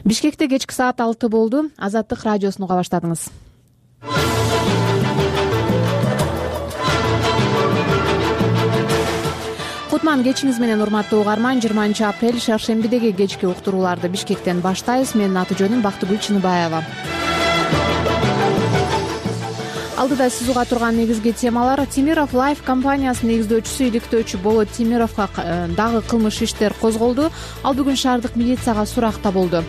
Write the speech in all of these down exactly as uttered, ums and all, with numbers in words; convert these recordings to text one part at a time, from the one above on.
Бишкекте кечки саат алты болду. Азаттык радиосун уга баштадыңыз. Кутман кечиңиз менен, урматтуу угарман. жыйырманчы апрель шаршембидеги кечки уктурууларды Бишкектен баштайбыз. Менин аты жөнүм Бактыгүл Чыныбаева. Алдыда сиз уга турган негизги темалар: Темиров Лайф компаниясынын негиздөөчүсү, иликтөөчү Болот Темировго дагы кылмыш иштер козголду. Ал бүгүн шаардык милицияга суракта болду.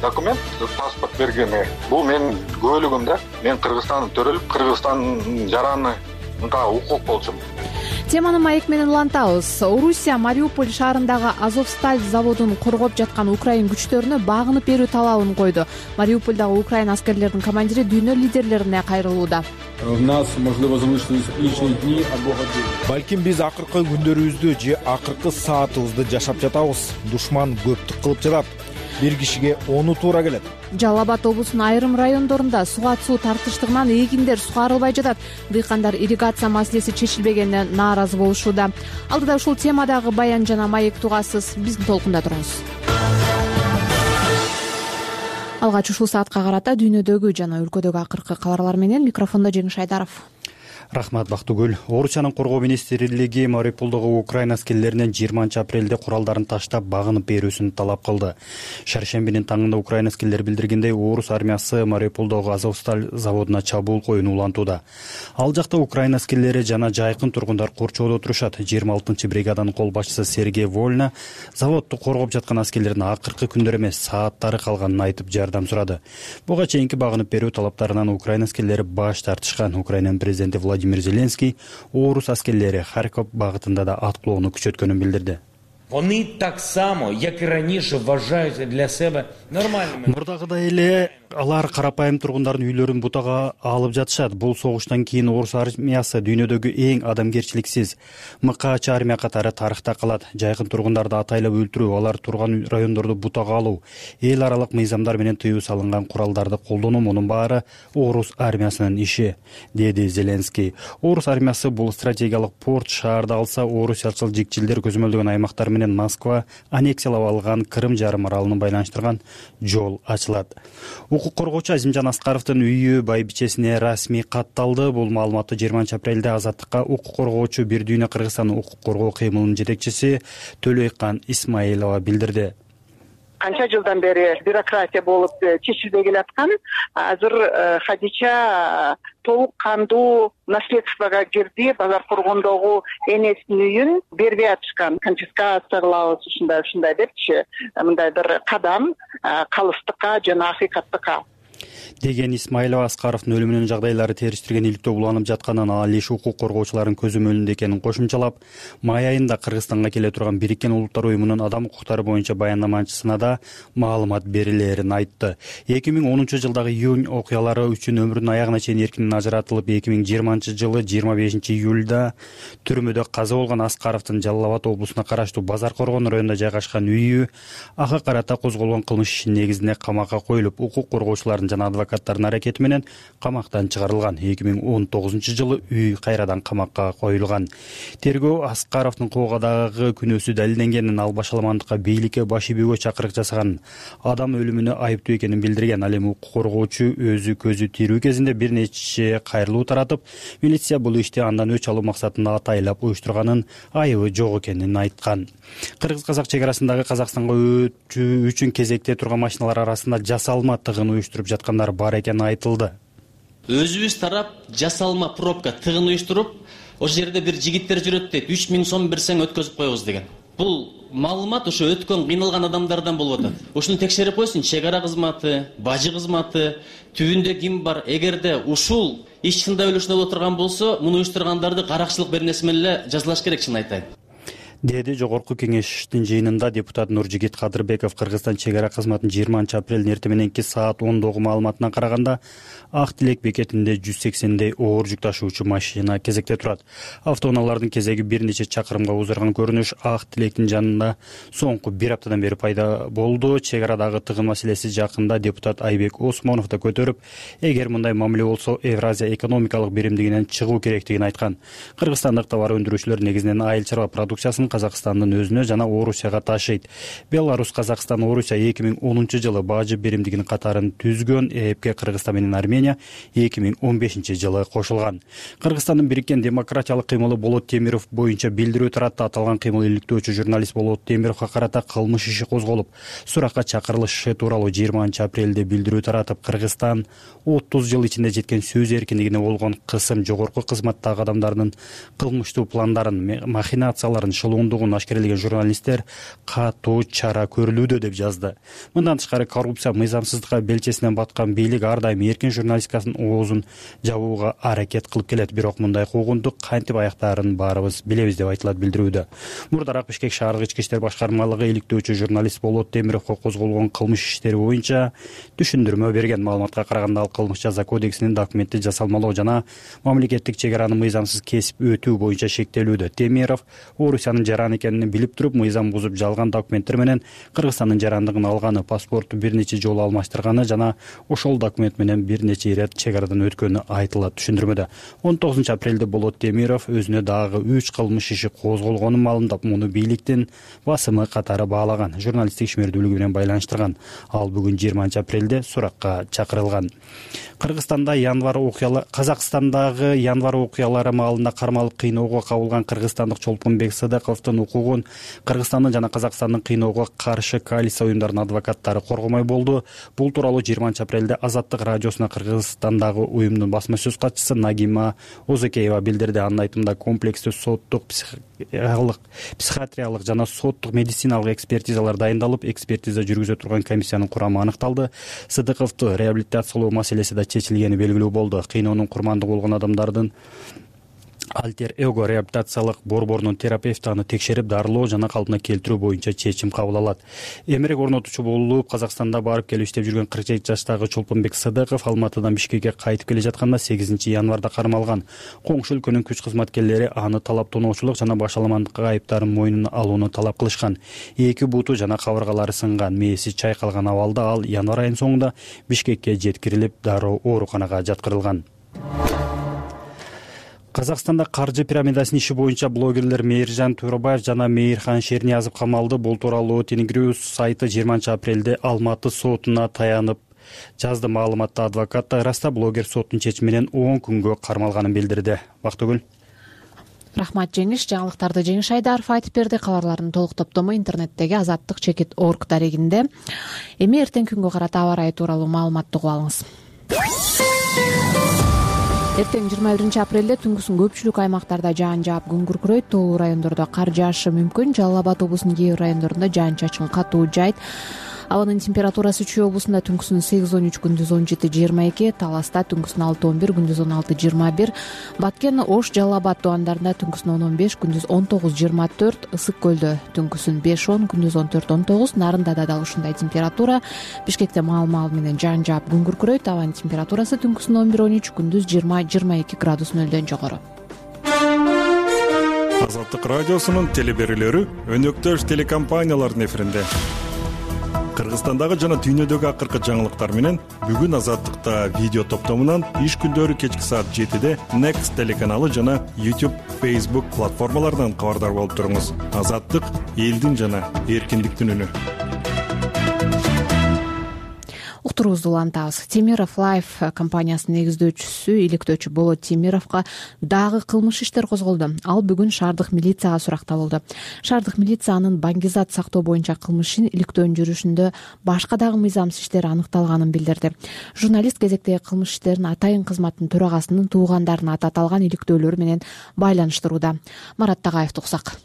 Документ, паспорт бергени. Бул менин көөлүгүм да. Мен Кыргызстанда төрөлүп, Кыргызстандын жараны мындай укук болчумун. Теманы маек менен улантабыз. Орусия Мариуполь шаарындагы Азовсталь заводун коргоп жаткан украин күчтөрүнө багынып берүү талабын койду. Мариупольдагы украин аскерлеринин командири дүйнө лидерлерине кайрылууда. Балким биз акыркы күндөрүбүздү же акыркы саатыбызды жашап жатабыз. Душман көптүк кылып жатат. Бир кишиге ону туура келет. Жалал Абад облусунун айрым райондорунда суга суу тартыштыгынан эгиндер сугарылбай жатат. Дыйкандар ирригация маселеси чечилбегенине нааразы болушууда. Алдыда ушул темадагы баян жана маек тугасыз. Биздин толкунда туруңуз. Алгач ушул саатка карата дүйнөдөгү жана өлкөдөгү акыркы кабарлар менен микрофондо Жеңиш Айдаров. Рахмат, Бактыгүл. Орусиянын коргоо министрлиги Мариуполдогу украин аскерлеринен жыйырманчы апрелде куралдарын таштап багынып берүүсүн талап кылды. Шаршембинин таңында украин аскерлери билдиргендей, орус армиясы Мариуполдогу Азовсталь заводуна чабуул коюуну улантууда. Ал жакта украин аскерлери жана жайкын тургундар корчоодо отурушат. жыйырма алтынчы бригаданын кол башчысы Сергей Вольна заводду коргоп жаткан аскерлердин акыркы күндөр эмес, сааттары калганын айтып жардам сурады. Буга чейинки багынып берүү талаптарынан украин аскерлери баш тартышкан. Украинанын президенти Владимир Зеленский орус аскерлери Харьков багытында да аткылоону күчөткөнүн билдирди. Вони так само, як и раніше, вважають для себе нормальними. Мурдагыдай эле алар карапайым тургундардын үйлөрүн бутага алып жатышат. Бул согуштан кийин орус армиясы дүйнөдөгү эң адамгерчиликсиз МКЧ армия катары тарыхта калат. Жайкын тургундарды атайлап өлтүрүү, алар турган райондорду бутага алуу, эл аралык мыйзамдар менен тыюу салынган куралдарды колдонуу, мунун баары орус армиясынын иши, деди Зеленский. Орус армиясы бул стратегиялык порт шаарды алса, орусиячыл жикчилдер көзөмөлдөгөн аймактар менен Москва аннексиялап алган Крым жарым аралын байланыштырган жол ачылат. Укук коргоочу Азимжан Аскаровдун үйү байбичесине расмий катталды. Бул маалыматты жыйырманчы апрелде Азаттыкка укук коргоочу Бир дүйнө Кыргызстан укук коргоо кыймылынын жетекчиси Төлөйкан Исмаилова билдирди. Канча жылдан бери бюрократия болуп чечилбей келаткан, азыр Хадича толук кандуу наследствого кирди. Базар коргондогу энесинин үйүн бербей атышкан. Конфискация кылабыз, ушундай ушундай депчи, мындай бир кадам калыстыкка жана акыйкаттыкка деген Исмаилова Аскаровдун өлүмүнүн жагдайлары териштирген иликтөө уланып жатканын, ал иш укук коргоочулардын көзөмөлүндө экенин кошумчалап, май айында Кыргызстанга келе турган Бириккен Улуттар уюмунун адам укуктары боюнча баяндамачысына да маалымат берилерин айтты. эки миң онунчу жылдагы июнь окуялары үчүн өмүрүнүн аягына чейин эркинен ажыратылып, эки миң жыйырманчы жылы жыйырма бешинчи июлда түрмөдө каза болгон Аскаровдун Жалал Абад облусуна караштуу Базар Коргон районунда жайгашкан үйү ага карата козголгон кылмыш ишинин негизинде камакка коюлуп, укук коргоочулардын жана адвокаттардын аракети менен камактан чыгарылган. эки миң он тогузунчу жылы үй кайрадан камакка коюлган. Тергөө Аскаровдун коогадагы күнөөсү далилденгенин, ал башаламандыкка, бийликке баш ийүүгө чакырык жасаган, адам өлүмүнө айыптуу экенин билдирген. Ал эми укук коргоочу өзү көзү тирүү кезинде бир нече кайрылуу таратып, милиция бул ишти андан өч алуу максатында атайлап уюштурганын, айыбы жок экенин айткан. Кыргыз-казак чек арасындагы Казакстанга өтүү үчүн кезекте турган машиналар арасында жасалма тыгын уюштуруп жаткандар бар экени айтылды. Өзүбүз тарап жасалма пробка тыгын уюштуруп, ошол жерде бир жигиттер жүрөт дейт, үч миң сом берсең өткөзүп коебуз деген. Бул маалымат ошо өткөн кыйналган адамдардан болуп атат. Ушуну текшерип койсун, чек ара кызматы, бажы кызматы, түбүндө ким бар. Эгерде ушул иш чында өлүшүнө отурган болсо, муну уюштургандарды каракчылык бернеси менен эле жазалаш керек, чын айтайын. деди жогорку кеңештин жыйынында депутат Нуржигит Кадырбеков. Кыргызстан чек ара кызматынын жыйырманчы апрелдин эртең мененки саат ондогу маалыматына караганда Ак Тилек бекетинде жүз сексендей оор жүк ташуучу машина кезекте турат. Автоунаалардын кезеги бир нече чакырымга узарган көрүнүш Ак Тилектин жанында соңку бир аптадан бери пайда болду. Чек арадагы тыгын маселеси жакында депутат Айбек Осмонов да көтөрүп, эгер мындай мамиле болсо Евразия экономикалык биримдигинен чыгуу керектигин айткан. Кыргызстандык товар өндүрүүчүлөр негизинен айыл чарба продукциясын Казакстандын өзүнө жана Орусияга ташыйт. Беларусь, Казакстан, Орусия эки миң онунчу жылы бажы биримдигинин катарын түзгөн. ЭЭПке Кыргызстан менен Армения эки миң он бешинчи жылы кошулган. Кыргызстандын бириккен демократиялык кыймылы Болот Темиров боюнча билдирүү таратты. Аталган кыймыл иликтөөчү журналист Болот Темировго карата кылмыш иши козголуп, суракка чакырылышы тууралуу жыйырманчы апрелде билдирүү таратып, Кыргызстан отуз жыл ичинде жеткен сөз эркиндигине болгон кысым, жогорку кызматтагы адамдардын кылмыштуу пландарын, махинацияларын, шылуундугун ашкерелеген журналисттер катуу чара көрүлүүдө деп жазды. Мындан тышкары коррупция, мыйзамсыздыкка белчесинен баткан бийлик ар дайым эркин журналистиканын оозун жабууга аракет кылып келет. Бирок мындай куугунтук кантип аяктаарын баарыбыз билебиз деп айтылат билдирүүдө. Мурдараак Бишкек шаардык ички иштер башкармалыгы иликтөөчү журналист Болот Темировго козголгон кылмыш иштери боюнча түшүндүрмө берген. Маалыматка караганда, ал кылмыш жаза кодексинин документти жасалмалоо жана мамлекеттик чек араны мыйзамсыз кесип өтүү боюнча шектелүүдө. Темиров Орусиянын жараны экенин билип туруп, мыйзам бузуп жалган документтер менен Кыргызстандын жарандыгын алганы, паспорту бир нече жолу алмаштырганы жана ошол документ менен бир нече ирет чек арадан өткөнү айтылат түшүндүрмөдө. он тогузунчу апрелде Болот Темиров өзүнө дагы үч кылмыш иши козголгонун маалымдап, муну бийликтин басымы катары баалаган, журналисттик ишмердүүлүгү менен байланыштырган. Ал бүгүн жыйырманчы апрелде суракка чакырылган. Кыргызстанда январь окуялары Казакстандагы январь окуялары маалында кармалып кыйноого кабылган кыргызстандык Чолпонбек Сыдыковдун укугун Кыргызстандын жана Казакстандын кыйноого каршы коалиция уюмдарынын адвокаттары коргомой болду. Бул тууралуу жыйырманчы апрелде Азаттык радиосуна Кыргызстандагы уюмдун басма сөз катчысы Нагима Озекеева билдирди. Анын айтымында, комплекстүү соттук, психиатриялык жана соттук медициналык экспертизалар дайындалып, экспертиза жүргүзө турган комиссиянын курамы аныкталды. Сыдыковду реабилитациялоо маселеси да чечилгени белгилүү болду. Кыйноонун курмандыгы болгон адамдардын альтер эго реабилитациялык борборунун терапевти аны текшерип, дарылоо жана калпына келтирүү боюнча чечим кабыл алат. Эмерек орнотуучу болуп Казакстанда барып келип иштеп жүргөн кырк жети жаштагы Чолпонбек Сыдыков Алматыдан Бишкекке кайтып келе жатканда сегизинчи январда кармалган. Коңшу өлкөнүн күч кызматкерлери аны талап тоноочулук жана башаламандык айыптарын мойнуна алууну талап кылышкан. Эки буту жана кабыргалары сынган, мээси чайкалган абалда ал январь айынын соңунда Бишкекке жеткирилип, дароо ооруканага жаткырылган. Казакстанда каржы пирамидасынын иши боюнча блогерлер Мейиржан Туурабаев жана Мейирхан Шерниязов камалды. Бул тууралуу Тенгриньюс сайты жыйырманчы апрелде Алматы сотуна таянып жазды. Маалыматта адвокат Раста блогер соттун чечими менен он күнгө кармалганын билдирди. Бактыгүл. Рахмат Жеңиш. Жаңылыктарды Жеңиш Айдаров айтып берди. Кабарлардын толук топтому интернеттеги азаттык чекит точка орг дарегинде. Эми эртең күнгө карата аба ырайы тууралуу маалыматты угуп алыңыз. Эртең жыйырма биринчи апрелде түнкүсүн көпчүлүк аймактарда жаан жаап, күн күркүрөйт. Тоолуу райондордо кар жаашы мүмкүн. Жалал Абад облусунун кээ бир райондорунда жаан-чачын катуу жаайт. Абанын температурасы Чүй облусунда түнкүсүн сегиз он үч, күндүз он жети жыйырма эки, Таласта түнкүсүн алты он бир, күндүз он алты жыйырма бир, Баткен, Ош, Жалал Абад тубандарында түнкүсүн он он беш, күндүз он тогуз жыйырма төрт, Ысык көлдө түнкүсүн беш он, күндүз он төрт он тогуз, Нарындада дал ушундай температура. Бишкекте маал-маал менен жаан жаап, күн күркүрөйт. Абанын температурасы түнкүсүн он бир он үч, күндүз жыйырма жыйырма эки градус нөлдөн жогору. Азаттык радиосунун телеберүүлөрү өнөктөш телекомпаниялардын эфиринде. Кыргызстандагы жана дүйнөдөгү акыркы жаңылыктар менен бүгүн Азаттыкта видео топтомунан иш күндөрү кечки саат жетиде Next телеканалы жана YouTube, Facebook платформаларынан кабардар болуп туруңуз. Азаттык — элдин жана эркиндиктин үнү. Уктуруубузду улантабыз. Темиров Лайф компаниясынын негиздөөчүсү, иликтөөчү Болот Темировго дагы кылмыш иштер козголду. Ал бүгүн шаардык милицияга суракталды. Шаардык милиция анын баңгизат сактоо боюнча кылмышын иликтөөнүн жүрүшүндө башка дагы мыйзамсыз иштер аныкталганын билдирди. Журналист кезектеги кылмыш иштерин Атайын кызматтын төрагасынын туугандарына ататалган иликтөөлөр менен байланыштырууда. Марат Тагаев туксак.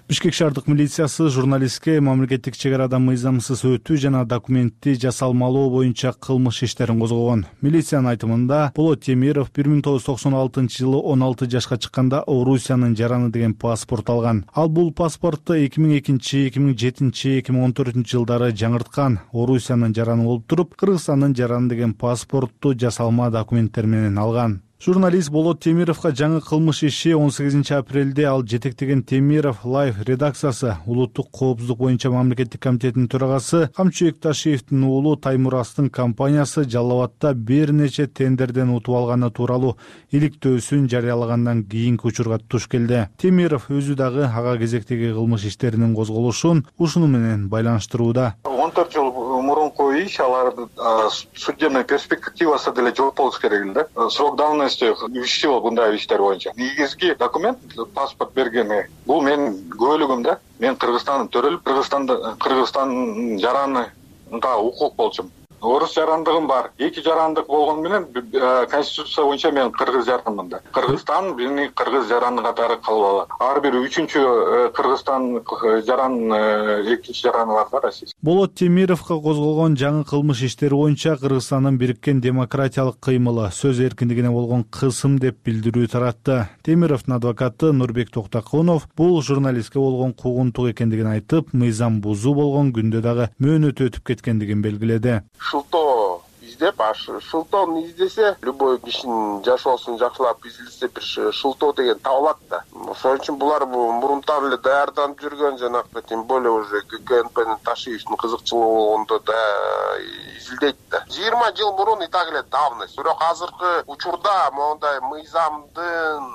Бишкек шаардык милициясы журналистке мамлекеттик чек арадан мыйзамсыз өтүү жана документти жасалмалоо боюнча кылмыш иштерин козгогон. Милициянын айтымында Болот Темиров бир миң тогуз жүз токсон алтынчы жылы он алты жашка чыкканда Орусиянын жараны деген паспорт алган. Ал бул паспортту эки миң экинчи, эки миң жетинчи, эки миң он төртүнчү жылдары жаңырткан. Орусиянын жараны болуп туруп, Кыргызстандын жараны деген паспортту жасалма документтер менен алган. Журналист Болот Темировго жаңы кылмыш иши он сегизинчи апрелде ал жетектеген Темиров Лайф редакциясы улуттук коопсуздук боюнча мамлекеттик комитетинин төрагасы Камчыбек Ташиевдин уулу Таймурастын компаниясы Жалал Абадта бир нече тендерден утуп алганы тууралуу иликтөөсүн жарыялагандан кийинки учурга туш келди. Темиров өзү дагы ага кезектеги кылмыш иштеринин козголушун ушуну менен байланыштырууда. он төрт жыл мурунку иш, алар судебный перспективасы деле жок болуш керек эле да. Срок давности үч жыл мындай иштер боюнча. Негизги документ паспорт бергени бул менин көөлүгүм да. Мен Кыргызстандын төрөлүп, Кыргызстанда Кыргызстандын жаранында укук болчумун. Орус жарандыгым бар. Эки жарандык болгону менен конституция боюнча мен кыргыз жаранмын да. Кыргызстан мени кыргыз жараны катары кабыл алат. Ар бир үчүнчү Кыргызстан жаран экинчи жараны бар да Россия. Болот Темировго козголгон жаңы кылмыш иштери боюнча Кыргызстандын бириккен демократиялык кыймылы сөз эркиндигине болгон кысым деп билдирүү таратты. Темировдун адвокаты Нурбек Токтокунов бул журналистке болгон куугунтук экендигин айтып, мыйзам бузуу болгон күндө дагы мөөнөтү өтүп кеткендигин белгиледи. Шылтоо издеп, аш шылтоону издесе, любой кишинин жашоосун жакшылап изилдесе бир шылтоо деген табылат да. Ошон үчүн булар мурунтан эле даярданып жүргөн, жанагы тем более уже КНПнин Ташиевдин кызыкчылыгы болгондо да изилдейт да. жыйырма жыл мурун и так эле давность. Бирок азыркы учурда моундай мыйзамдын,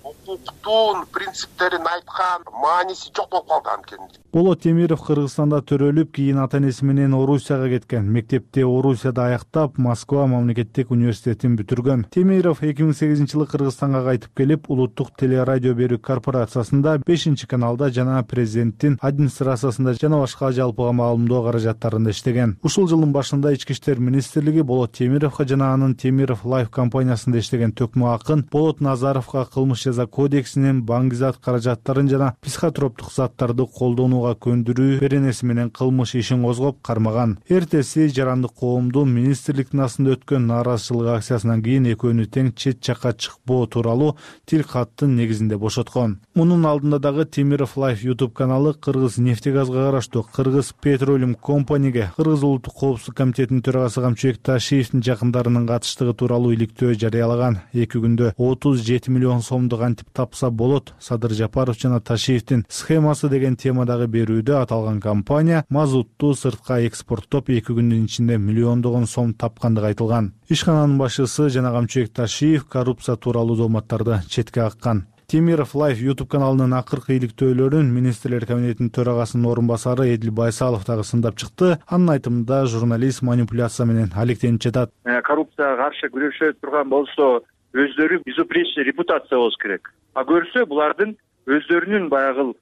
укуктун принциптерин айткан мааниси жок болуп калды анткени. Болот Темиров Кыргызстанда төрөлүп, кийин ата-энеси менен Орусияга кеткен. Мектепти Орусияда аяктап, Москва мамлекеттик университетин бүтүргөн. Темиров эки миң сегизинчи жылы Кыргызстанга кайтып келип, улуттук телерадио берүү корпорациясында бешинчи каналда жана президенттин администрациясында жана башка жалпыга маалымдоо каражаттарында иштеген. Ушул жылдын башында Ички иштер министрлиги Болот Темировго жана анын Темиров Лайф компаниясында иштеген Төкмө Акын Болот Назаровго кылмыш жаза кодексинин баңгизат каражаттарын жана психотроптук заттарды колдонууга көндүрүү беренеси менен кылмыш ишин козгоп кармаган. Эртеси жарандык коомдун министрликтин астында өткөн нааразычылык акциясынан кийин экөөнү тең чет жакка чыкпоо тууралуу тил каттын негизинде бошоткон. Мунун алдында дагы Темиров Лайф YouTube каналы Кыргыз нефтегазга караштуу Кыргыз Petroleum Company'ге Кыргыз улуттук коопсуздук комитетинин төрагасы Камчыбек Ташиевдин жакындарынын катыштыгы тууралуу иликтөө жарыялаган. Эки күндө отуз жети миллион сомду кантип тапса болот, Садыр Жапаров жана Ташиевдин схемасы деген темадагы берүүдө аталган компания мазутту сыртка экспорттоп эки күндүн ичинде миллиондогон сом тапкандыгы айтылган. Ишкананын башчысы жана Камчыбек Ташиев коррупция тууралуу дооматтарды четке каккан. Темиров Лайф YouTube каналынын акыркы иликтөөлөрүн министрлер кабинетинин төрагасынын орун басары Эдил Байсалов дагы сындап чыкты. Анын айтымында журналист манипуляция менен алектенип жатат. Коррупцияга каршы күрөшө турган болсо өздөрү безупречный репутация болуш керек. А көрсө булардын өздөрүнүн баягы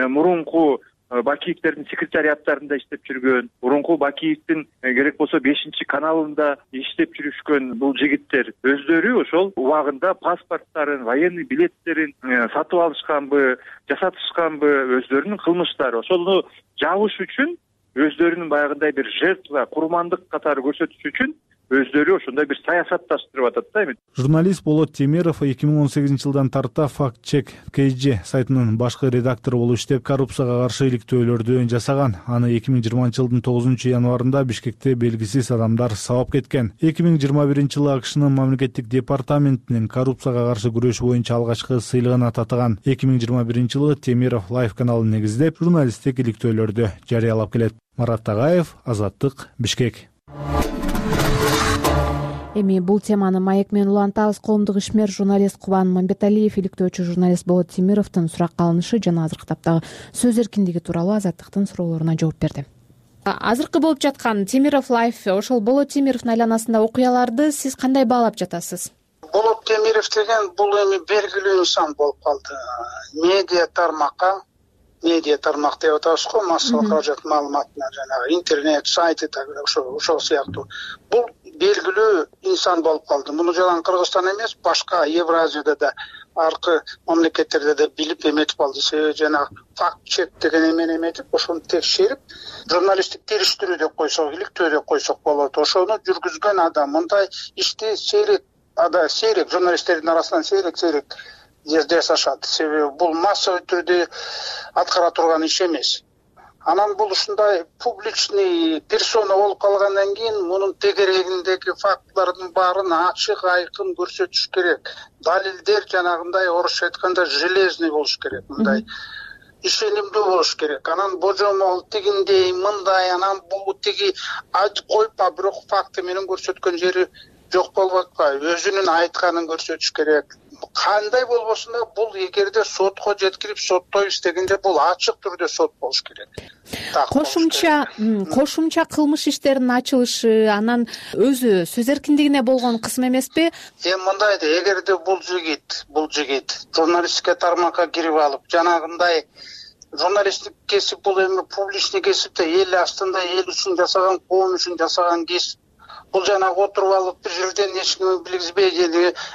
мурунку Бакиевдердин секретариаттарында иштеп жүргөн, мурунку Бакиевдин керек болсо бешинчи каналында иштеп жүрүшкөн бул жигиттер өздөрү ошол убагында паспорттарын, военный билеттерин сатып алышканбы, жасатышканбы, өздөрүнүн кылмыштары ошону жабыш үчүн, өздөрүнүн баягындай бир жертва, курмандык катары көрсөтүш үчүн өздөрү ошондой бир саясатташтырып атат да эми. Журналист Болот Темиров эки миң он сегизинчи жылдан тарта Fact Check кей джи сайтынын башкы редактору болуп иштеп, коррупцияга каршы иликтөөлөрдү жасаган. Аны эки миң жыйырманчы жылдын тогузунчу январында Бишкекте белгисиз адамдар сабап кеткен. эки миң жыйырма биринчи жылы АКШнын мамлекеттик департаментинин коррупцияга каршы күрөш боюнча алгачкы сыйлыгын татыган. эки миң жыйырма биринчи жылы Темиров Лайф каналын негиздеп, журналисттик иликтөөлөрдү жарыялап келет. Марат Тагаев, Азаттык, Бишкек. Эми бул теманы маек менен улантабыз. Коомдук ишмер журналист Кубан Мамбеталиев иликтөөчү журналист Болот Темировдун суракка алынышы жана азыркы таптагы сөз эркиндиги тууралуу Азаттыктын суроолоруна жооп берди. Азыркы болуп жаткан Темиров Лайф, ошол Болот Темировдун айланасында окуяларды сиз кандай баалап жатасыз? Болот Темиров деген бул эми белгилүү инсан болуп калды. Медиа тармакка, медиа тармак деп атабыз го, массалык каражат маалыматына, жанагы интернет сайты ошо ошол сыяктуу. Бул белгилүү инсан болуп калды. Муну жалаң Кыргызстан эмес, башка Евразияда да, аркы мамлекеттерде да билип эметип алды. Себеби жанагы факт чек деген эмени эметип, ошону текшерип, журналисттик териштирүү деп койсок, иликтөө деп койсок болот. Ошону жүргүзгөн адам. Мындай ишти сейрек, ада сейрек журналисттердин арасынан сейрек-сейрек жасашат. Себеби бул массалык түрдө аткара турган иш эмес. анан бул ушундай публичный персона болуп калгандан кийин мунун тегерегиндеги фактылардын баарын ачык айкын көрсөтүш керек. Далилдер жанагындай орусча айтканда железный болуш керек, мындай ишенимдүү болуш керек. Анан божомол тигиндей мындай, анан бул тиги айтып коюп, а бирок факты менен көрсөткөн жери жок болуп атпайбы? Өзүнүн айтканын көрсөтүш керек. Кандай болбосун да бул эгерде сотко жеткирип соттоп истегенде бул ачык түрдө сот болуш керек. Кошумча кошумча кылмыш иштеринин ачылышы анан өзү сөз эркиндигине болгон кысым эмеспи? Эми мындай да, эгерде бул жигит, бул жигит журналистика тармакка кирип алып, жанагындай журналисттик кесип бул эми публичный кесип да, эл астында эл үчүн жасаган, коом үчүн жасаган кесип. Бул жанагы отуруп алып бир жерден эч ким билгизбей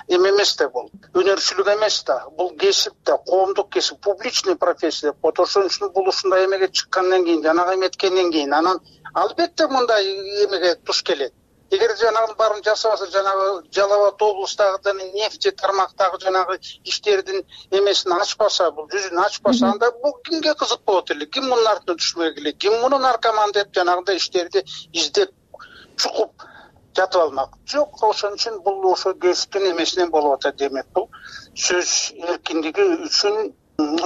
эме эмес да, бул өнөрчүлүк эмес да, бул кесип да, коомдук кесип, публичный профессия деп коет. Ошон үчүн бул ушундай эмеге чыккандан кийин, жанагы эметкенден кийин анан албетте мындай эмеге туш келет. Эгер жанагынын баарын жасабаса, жанагы Жалал Абад облустагы нефти тармактагы жанагы иштердин эмесин ачпаса, бул жүзүн ачпаса, анда бул кимге кызык болот эле? Ким мунун артынан түшпөй келет? Ким муну наркоман деп жанагындай иштерди издеп чукуп жатып алмак? Жок, ошон үчүн бул ошо кесиптин эмесинен болуп атат. Демек бул сөз эркиндиги үчүн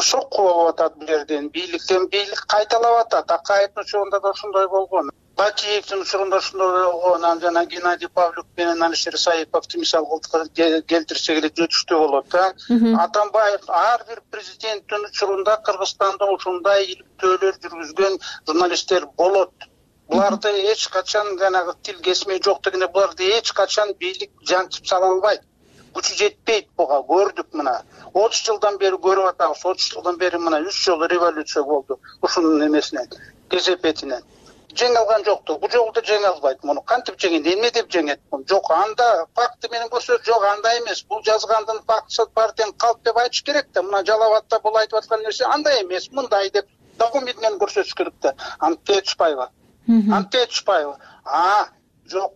сокку болуп атат. Бул жерден бийликтен бийлик кайталап атат. Акаевдин учурунда да ошондой болгон, Бакиевдин учурунда ошондой болгон, анан жана Геннадий Павлюк менен Алишер Саиповду мисал келтирсек эле жетиштүү болот да. Атамбаев ар бир президенттин учурунда Кыргызстанда ушундай иликтөөлөр жүргүзгөн журналисттер болот. Буларды эч качан жанагы тил кесмей жок дегенде, буларды эч качан бийлик жантып сала албайт. Күчү жетпейт буга, көрдүк мына. отуз жылдан бери көрүп атабыз. отуз жылдан бери мына үч жолу революция болду ушунун эмесинен, кесепетинен. Жеңе алган жокту. Бул жолу да жеңе албайт муну. Кантип жеңет? Эмне деп жеңет? Жок, анда факты менен көрсөт, жок, андай эмес. Бул жазгандын фактысы бар тең калп деп айтыш керек да. Мына Жалал Абадда бул айтып аткан нерсе андай эмес, мындай деп документ менен көрсөтүш керек да. Антип Течпаева. Антип Течпаева. А, жок.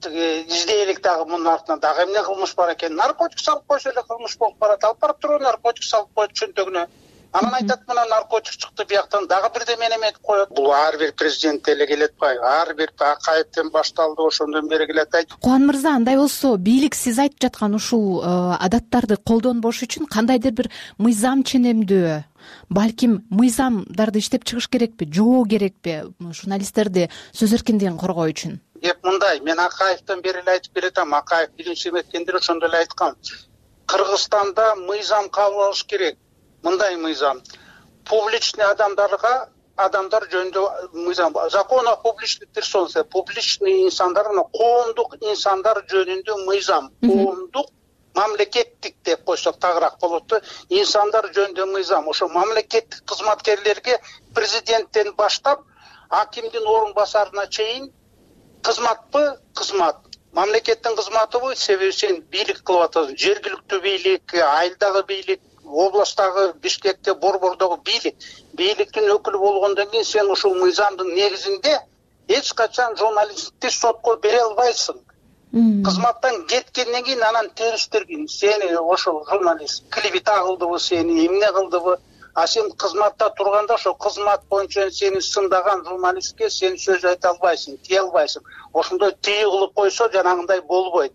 Издейlik дагы мунун артынан дагы эмне кылмыш бар экен? Наркотик салып койсо эле кылмыш болуп барат. Алып барып туруп наркотик салып коет чөнтөгүнө. Анан айтат, мына наркотик чыкты бияктан, дагы бирдеме эметип коет. Бул ар бир президент эле келет бай. Ар бир Акаевден башталды, ошондон бери келет. Кубан мырза, андай болсо, бийлик сиз айтып жаткан ушул адаттарды колдонбош үчүн кандайдыр бир мыйзам ченемдүү, балким мыйзамдарды иштеп чыгыш керекпи, жоо керекпи журналисттерди сөз эркиндигин коргоо үчүн? Эп мындай, мен Акаевден бери эле айтып келатам. Акаев биринчи эметкендер ошондой эле айткан. Кыргызстанда мыйзам кабыл алыш керек. Мындай мыйзам. Публичный адамдарга, адамдар жөнүндө мыйзам. Закон о публичных персонах, публичный инсандар, коомдук инсандар жөнүндө мыйзам. Коомдук, мамлекеттик деп койсок тагыраак болот да. Инсандар жөнүндө мыйзам. Ошо мамлекеттик кызматкерлерге президенттен баштап, акимдин орун басарына чейин кызматпы? Кызмат. Мамлекеттин кызматыбы? Себеби сен бийлик кылып атасың. Жергиликтүү бийлик, айылдагы бийлик, областтагы, Бишкекте, Борбордогу бийлик. Бийликтин өкүлү болгондон кийин сен ушул мыйзамдын негизинде эч качан журналистти сотко бере албайсың. Кызматтан кеткенден кийин анан териштиргин. Сени ошол журналист клевета кылдыбы, сени эмне кылдыбы? А сен кызматта турганда ошо кызмат боюнча сени сындаган журналистке сен сөз айта албайсың, тие албайсың. Ошондой тыйы кылып койсо жанагындай болбойт.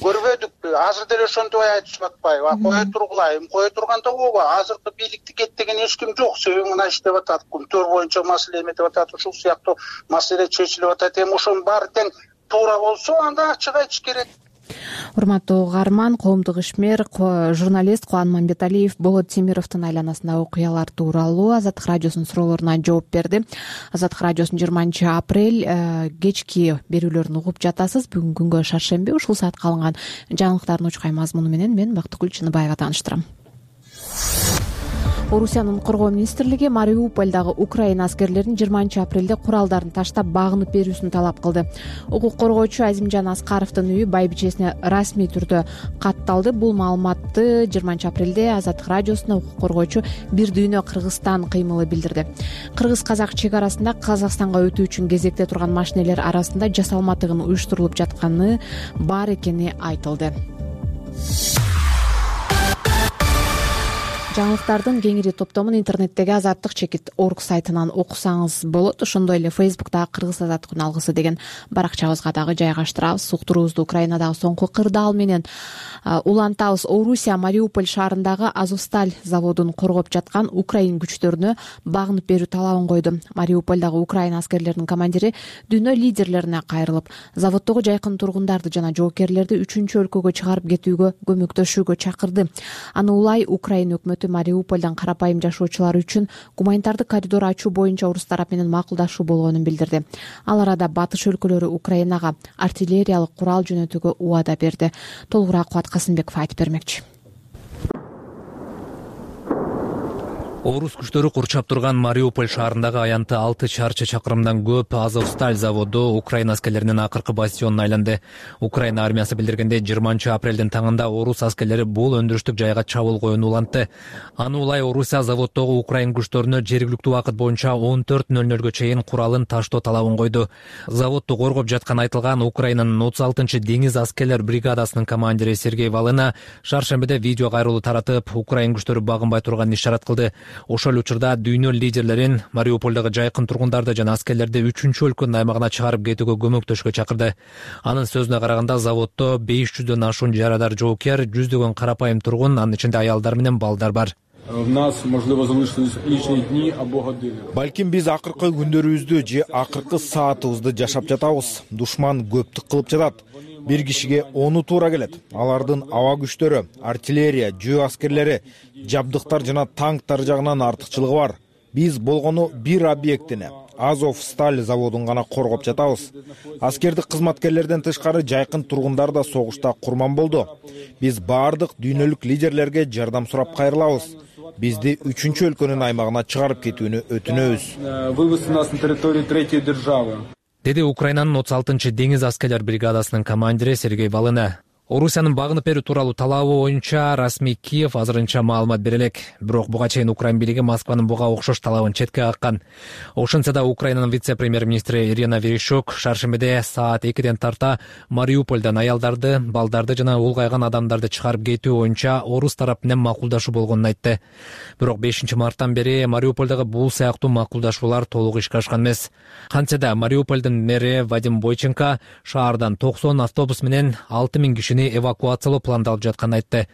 Көрбөдүкпү? Азыр деле ошентип айтышып атпайбы? Кое тургулайм, кое турганда ооба, азыркы бийликти кет деген эч ким жок. Себеби мына иштеп атат, күнтөр боюнча маселе эметип атат, ушул сыяктуу маселе чечилип атат. Эми ошонун баары тең туура болсо, анда ачык айтыш керек. Урматтуу угарман, коомдук ишмер, журналист Кубан Мамбеталиев Болот Темировдун айланасындагы окуялар тууралуу Азаттык радиосунун суроолоруна жооп берди. Азаттык радиосунун жыйырманчы апрель кечки берүүлөрүн угуп жатасыз. Бүгүн күнгө шаршемби, ушул саатка алынган жаңылыктардын учкай мазмуну менен мен Бактыгүл Чыныбаева тааныштырам. Орусиянын коргоо министрлиги Мариуполдагы Украина аскерлерин жыйырманчы апрелде куралдарын таштап багынып берүүсүн талап кылды. Укук коргоочу Азимжан Аскаровдун үйү байбичесине расмий түрдө катталды. Бул маалыматты жыйырманчы апрелде Азаттык радиосуна укук коргоочу Бир дүйнө Кыргызстан кыймылы билдирди. Кыргыз-казак чек арасында Казакстанга өтүү үчүн кезекте турган машинелер арасында жасалма тыгын уюштурулуп жатканы бар экени айтылды. жаңылыктардын кеңири топтомун интернеттеги Азаттык чекит орг сайтынан окусаңыз болот. Ошондой эле Фейсбуктагы Кыргыз Азаттык күн алгысы деген баракчабызга дагы жайгаштырабыз. Уктуруубузду Украинадагы соңку кырдаал менен улантабыз. Орусия Мариуполь шаарындагы Азовсталь заводун коргоп жаткан украин күчтөрүнө багынып берүү талабын койду. Мариупольдагы Украина аскерлеринин командири дүйнө лидерлерине кайрылып, заводдогу жайкын тургундарды жана жоокерлерди үчүнчү өлкөгө чыгарып кетүүгө көмөктөшүүгө чакырды. Аны улай Украина өкмөтү Мариупольдон карапайым жашоочулар үчүн гуманитардык коридор ачуу боюнча орус тарап менен макулдашуу болгонун билдирди. Ал арада батыш өлкөлөрү Украинага артиллериялык курал жөнөтүүгө убада берди. Толугураак Кубат Касымбеков айтып бермекчи. Орус күчтөрү курчап турган Мариуполь шаарындагы аянты алты чарчы чакырымдан көп Азовсталь заводу Украина аскерлеринин акыркы бастионуна айланды. Украина армиясы билдиргенде жыйырманчы апрелдин таңында орус аскерлери бул өндүрүштүк жайга чабуул коюуну улантты. Аны улай Орусия заводдогу украин күчтөрүнө жергиликтүү убакыт боюнча он төрт нөл нөлгө чейин куралын таштоо талабын койду. Заводду коргоп жатканы айтылган Украинанын отуз алтынчы деңиз аскерлер бригадасынын командири Сергей Волына шаршембиде видео кайрылуу таратып, украин күчтөрү багынбай турганын ишарат кылды. Ошол учурда дүйнө лидерлерин Мариупольдогу жайкын тургундарды жана аскерлерди үчүнчү өлкөнүн аймагына чыгарып кетүүгө көмөктөшүүгө чакырды. Анын сөзүнө караганда, заводдо беш жүздөн ашуун жарадар жоокер, жүздөгөн карапайым тургун, анын ичинде аялдар менен балдар бар. Балким биз акыркы күндөрүбүздү же акыркы саатыбызды жашап жатабыз. Душман көптүк кылып жатат. Бир кишиге ону туура келет. Алардын аба күчтөрү, артиллерия, жөө аскерлери, жабдыктар жана танктар жагынан артыкчылыгы бар. Биз болгону бир объектини, Азовсталь заводун гана коргоп жатабыз. Аскердик кызматкерлерден тышкары жайкын тургундар да согушта курман болду. Биз баардык дүйнөлүк лидерлерге жардам сурап кайрылабыз. Бизди үчүнчү өлкөнүн аймагына чыгарып кетүүнү өтүнөбүз. Вывести нас на территорию третьей державы. Деди Украинанын отуз алтынчы деңиз аскерлер бригадасынын командири Сергей Волына. Орусиянын багынып берүү тууралуу талабы боюнча расмий Киев азырынча маалымат бере элек. Бирок буга чейин Украин бийлиги Москванын буга окшош талабын четке каккан. Ошентсе да Украинанын вице-премьер-министри Ирина Верещук шаршембиде саат экиден тарта Мариупольдон аялдарды, балдарды жана улгайган адамдарды чыгарып кетүү боюнча орус тарап менен макулдашуу болгонун айтты. Бирок бешинчи марттан бери Мариупольдогу бул сыяктуу макулдашуулар толук ишке ашкан эмес. Кантсе да Мариупольдун мэри Вадим Бойченко шаардан токсон автобус менен алты миң киши эвакуациялоо пландалып жатканын айтты.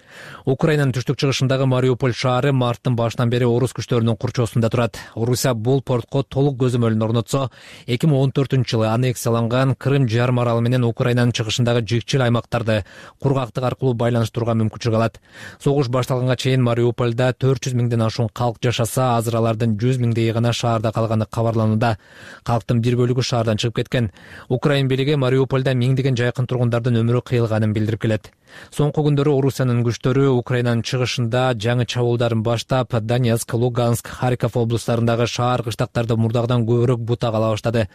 Украинанын түштүк чыгышындагы Мариуполь шаары марттын башынан бери орус күчтөрүнүн курчоосунда турат. Орусия бул портко толук көзөмөлүн орнотсо, эки миң он төртүнчү жылы аннексияланган Крым жарым аралы менен Украинанын чыгышындагы жикчил аймактарды кургактык аркылуу байланыштырууга мүмкүнчүлүк алат. Согуш башталганга чейин Мариупольда төрт жүз миңден ашуун калк жашаса, азыр алардын жүз миңдейи гана шаарда калганы кабарланууда. Калктын бир бөлүгү шаардан чыгып кеткен. Украин бийлиги Мариупольда миңдеген жайкын тургундардын өмүрү кыйылганын билдирип келет. Соңку күндөрү Орусиянын күчтөрү Украинанын чыгышында жаңы чабуулдарын баштап, Донецк, Луганск, Харьков облустарындагы шаар кыштактарды мурдагыдан көбүрөөк бутак ала баштады.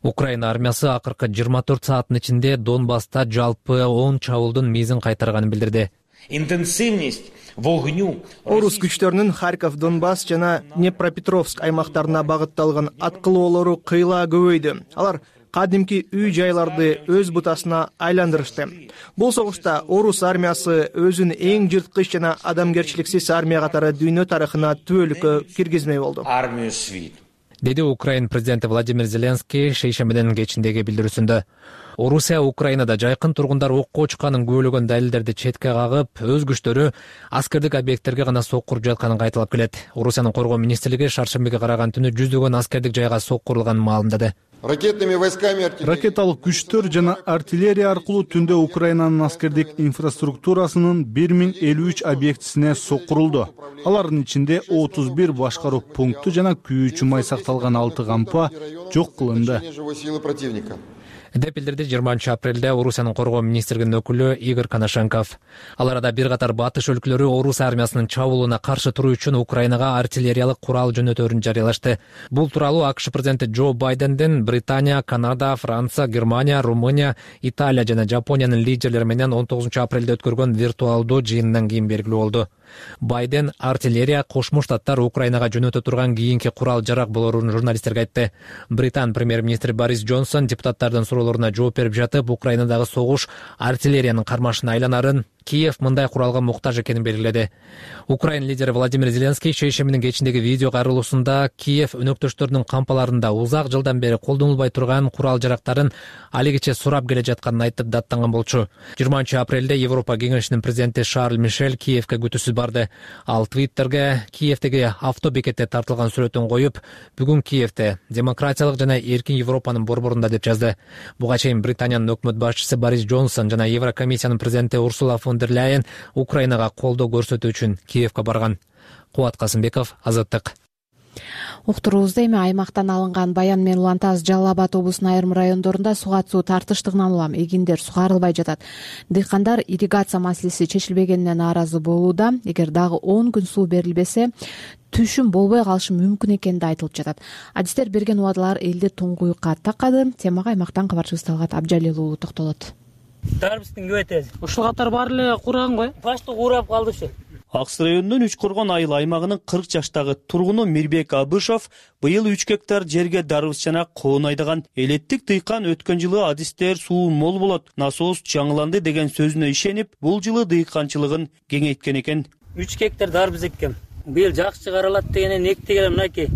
Украина армиясы акыркы жыйырма төрт сааттын ичинде Донбасста жалпы он чабуулдун мизин кайтарганын билдирди. Интенсивность вогню. Орус күчтөрүнүн Харьков, Донбасс жана Днепропетровск аймактарына багытталган аткылоолору кыйла көбөйдү. Алар кадимки үй жайларды өз бутасына айландырышты. Бул согушта орус армиясы өзүн эң жырткыч жана адамгерчиликсиз армия катары дүйнө тарыхына түбөлүккө киргизмей болду. Армию свит. Деди Украин президенти Владимир Зеленский шейшембиден кечиндеги билдирүүсүндө. Орусия Украинада жайкын тургундар окко учканын күбөлөгөн далилдерди четке кагып, өз күчтөрү аскердик объекттерге гана соккуруп жатканын кайталап келет. Орусиянын коргоо министрлиги шаршембиге караган түнү жүздөгөн аскердик жайга соккурулганын маалымдады. Ракетными войсками ракеталык күчтөр жана артиллерия аркылуу түндө Украинанын аскердик инфраструктурасынын бир миң элүү үч объектисине соккурулду. Алардын ичинде отуз бир башкаруу пункту жана күйүүчү май сакталган алты кампа жок кылынды. деп билдирди жыйырманчы апрелде Орусиянын коргоо министрлигинин өкүлү Игорь Коношенков. Ал арада бир катар батыш өлкөлөрү орус армиясынын чабуулуна каршы туруу үчүн Украинага артиллериялык курал жөнөтөөрүн жарыялашты. Бул тууралуу АКШ президенти Джо Байденден Британия, Канада, Франция, Германия, Румыния, Италия жана Жапониянын лидерлери менен он тогузунчу апрелде өткөргөн виртуалдуу жыйындан кийин белгилүү болду. Байден артиллерия Кошмо Штаттар Украинага жөнөтө турган кийинки курал жарак болоорун журналисттерге айтты. Британ премьер-министри Борис Джонсон депутаттардын журналистердин суроолоруна жооп берип жатып, Украинадагы согуш артиллериянын кармашына айланарын, Киев мындай куралга муктаж экенин белгиледи. Украин лидери Владимир Зеленский шейшеминин кечиндеги видео кайрылуусунда Киев өнөктөштөрүнүн кампаларында узак жылдан бери колдонулбай турган курал жарактарын алигиче сурап келе жатканын айтып даттанган болчу. жыйырманчы апрелде Европа кеңешинин президенти Шарль Мишель Киевке күтүүсүз барды. Ал Твиттерге Киевдеги автобекетте тартылган сүрөтүн коюп, бүгүн Киевде демократиялык жана эркин Европанын борборунда деп жазды. Буга чейин Британиянын өкмөт башчысы Борис Джонсон жана Еврокомиссиянын президенти Урсула фон дер Ляйен Украинага колдоо көрсөтүү үчүн Киевке барган. Кубат Касымбеков, Азаттык. Уктуруубузда эми аймактан алынган Баян менен Улан Таз, Жалал Абад облусунун айрым райондорунда суга суу тартыштыгынан улам эгиндер сугарылбай жатат. Дыйкандар ирригация маселеси чечилбегенине нааразы болууда. Эгер дагы он күн суу берилбесе, түшүм болбой калышы мүмкүн экени да айтылып жатат. Адистер берген убадалар элди туңгуюкка такады. Темага аймактан кабарчыбыз Талгат Абжалил уулу токтолот. Дарбыздын көбөйтөбүз. Ушул катар баары эле курган го. Башты курап калды ушу. Акс районунун Үч Коргон айыл аймагынын кырк жаштагы тургуну Мирбек Абышов быйыл үч гектар жерге дарбыз жана коон айдаган. Элеттик дыйкан өткөн жылы адистер суу мол болот, насос жаңыланды деген сөзүнө ишенип, бул жылы дыйканчылыгын кеңейткен экен. үч гектар дарбыз эккем. Быйыл жакшы чыгарылат дегенен эктигеле мынакей.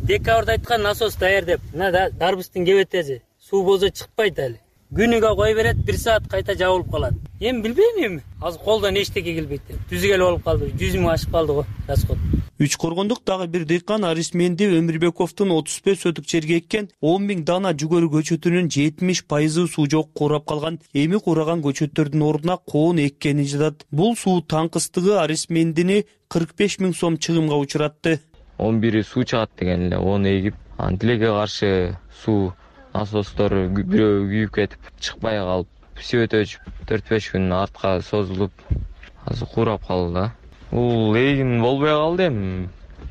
Декабрда айткан насос даяр деп. Мына дарбыздын кебетеси. Суу болсо чыкпайт али. Күнүгө кой берет, бир саат кайта жабылып калат. Эми билбейм эми. Азыр колдон эчтеке келбейт. Түзүгел болуп калды. жүз миң ашып калды го расход. Үч Коргондук дагы бир дыйкан Арисменди Өмүрбековдун отуз беш сотук жерге эккен он миң дана жүгөрү көчөтүнүн жетимиш пайызы суу жок курап калган. Эми кураган көчөттөрдүн ордуна коон эккени жатат. Бул суу таңкыстыгы Арисмендини кырк беш миң сом чыгымга учуратты. он бири суу чыгат деген эле, он эгип, анан тилекке каршы суу насостор бирөө күйүп кетип чыкпай калып, сүйөт өчүп төрт беш күн артка созулуп, азыр курап калды да. Бул эгин болбой калды эми.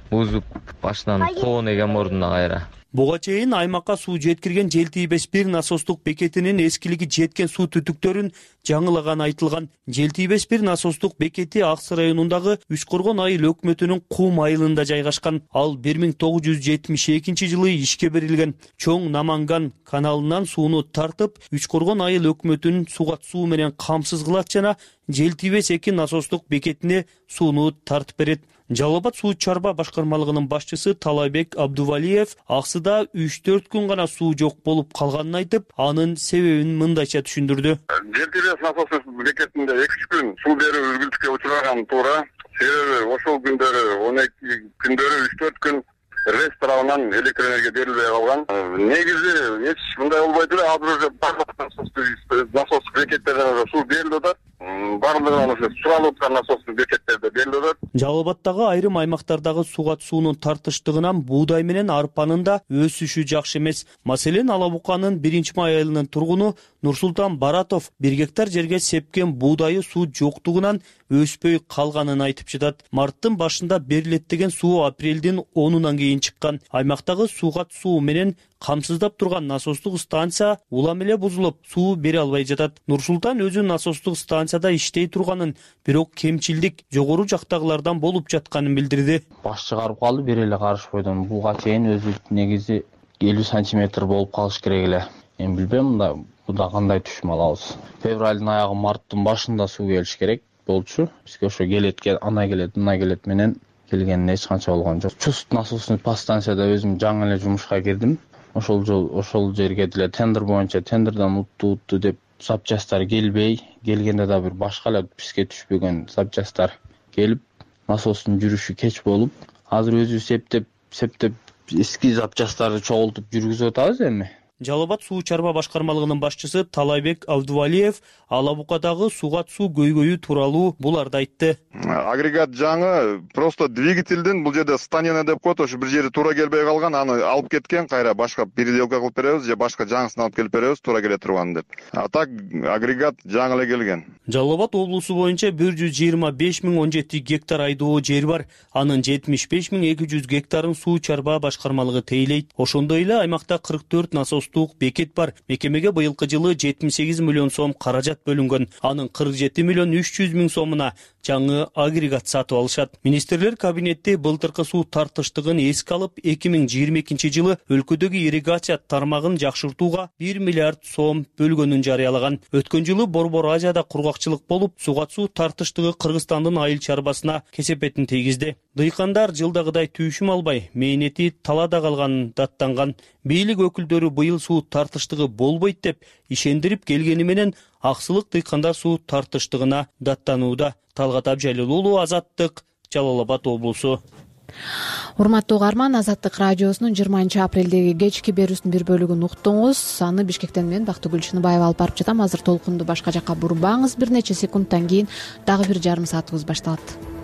Бузуп башынан коон эген ордуна кайра. Буга чейин аймакка суу жеткирген Желтийбеш бир насостук бекетинин эскилиги жеткен суу түтүктөрүн жаңылаган айтылган. Желтийбеш бир насостук бекети Акс районундагы Үч Коргон айыл өкмөтүнүн Кум айылында жайгашкан. Ал бир миң тогуз жүз жетимиш экинчи жылы ишке берилген. Чоң Наманган каналынан сууну тартып, Үч Коргон айыл өкмөтүнүн сугат суу менен камсыз кылат жана Желтийбеш эки насостук бекетине сууну тартып берет. Жалал Абад суу чарба башкармалыгынын башчысы Талайбек Абдувалиев Аксыда үч төрт күн гана суу жок болуп калганын айтып, анын себебин мындайча түшүндүрдү. Желтийбеш насос бекетинде эки үч күн суу берүү үзгүлтүккө учураган туура. Себеби ошол күндөрү он эки күндөрү үч төрт күн РЭС тарабынан электр энергия берилбей калган. Негизи эч мындай болбойт эле, азыр уже барлык насос бекеттерде суу берилип атат. Барлыгынан ошо суралып аткан насос бекеттерде берилип атат. Жалал Абадтагы айрым аймактардагы сугат суунун тартыштыгынан буудай менен арпанын да өсүшү жакшы эмес. Маселен, Ала Буканын биринчи май айылынын тургуну Нурсултан Баратов бир гектар жерге сепкен буудайы суу жоктугунан өспөй калганын айтып жатат. Марттын башында берилет деген суу апрелдин онунан кийин чыккан. Аймактагы сугат суу менен камсыздап турган насостук станция улам эле бузулуп, суу бере албай жатат. Нурсултан өзү насостук станцияда иштей турганын, бирок кемчилдик жогору жактагылардан болуп жатканын билдирди. Баш чыгарып калды, бери эле карышпойдон. Буга чейин өзү негизи элүү сантиметр болуп калыш керек эле. Эми билбейм мында буда кандай түшүм алабыз. Февралдын аягы, марттын башында суу келиш керек болчу. Бизге ошо келет, ана келет, мына келет менен келгенине эч канча болгон жок. Чуст насосный подстанцияда өзүм жаңы эле жумушка кирдим. Ошол жол, ошол жерге деле тендер боюнча тендерден утту утту деп запчасттар келбей, келгенде да бир башка эле бизге түшпөгөн запчасттар келип, насостун жүрүшү кеч болуп, азыр өзү септеп, септеп эски запчасттарды чогултуп жүргүзүп атабыз эми. Жалал Абад суу чарба башкармалыгынын башчысы Талайбек Абдувалиев Ала Букадагы сугат суу көйгөйү тууралуу буларды айтты. Агрегат жаңы, просто двигательдин бул жерде станина деп коет, ошо бир жери туура келбей калган, аны алып кеткен, кайра башка переделка кылып беребиз же башка жаңысын алып келип беребиз, туура келе турган деп. А так агрегат жаңы эле келген. Жалал Абад облусу боюнча бир жүз жыйырма беш миң он жети гектар айдоо жер бар. Анын жетимиш беш миң эки жүз гектарын суу чарба башкармалыгы тейлейт. Ошондой эле аймакта кырк төрт насос бекет бар. Мекемеге быйылкы жылы жетимиш сегиз миллион сом каражат бөлүнгөн. Анын кырк жети миллион үч жүз миң сомуна жаңы агрегат сатып алышат. Министрлер кабинети былтыркы суу тартыштыгын эске алып, эки миң жыйырма экинчи жылы өлкөдөгү ирригация тармагын жакшыртууга бир миллиард сом бөлгөнүн жарыялаган. Өткөн жылы Борбор Азияда кургакчылык болуп, суга суу тартыштыгы Кыргызстандын айыл чарбасына кесепетин тийгизди. Дыйкандар жылдагыдай түшүм албай, мээнети талаада калганын даттанган. Бийлик өкүлдөрү быйыл суу тартыштыгы болбойт деп ишендирип келгени менен Аксылык дыйкандар суу тартыштыгына даттанууда. Талгат Абжалил уулу, Азаттык, Жалал Абад облусу. Урматтуу угарман, Азаттык радиосунун жыйырманчы апрелдеги кечки берүүсүнүн бир бөлүгүн уктуңуз. Аны Бишкектен мен Бактыгүл Чыныбаева алып барып жатам. Азыр толкунду башка жакка бурбаңыз. Бир нече секундтан кийин дагы бир жарым саатыбыз башталат.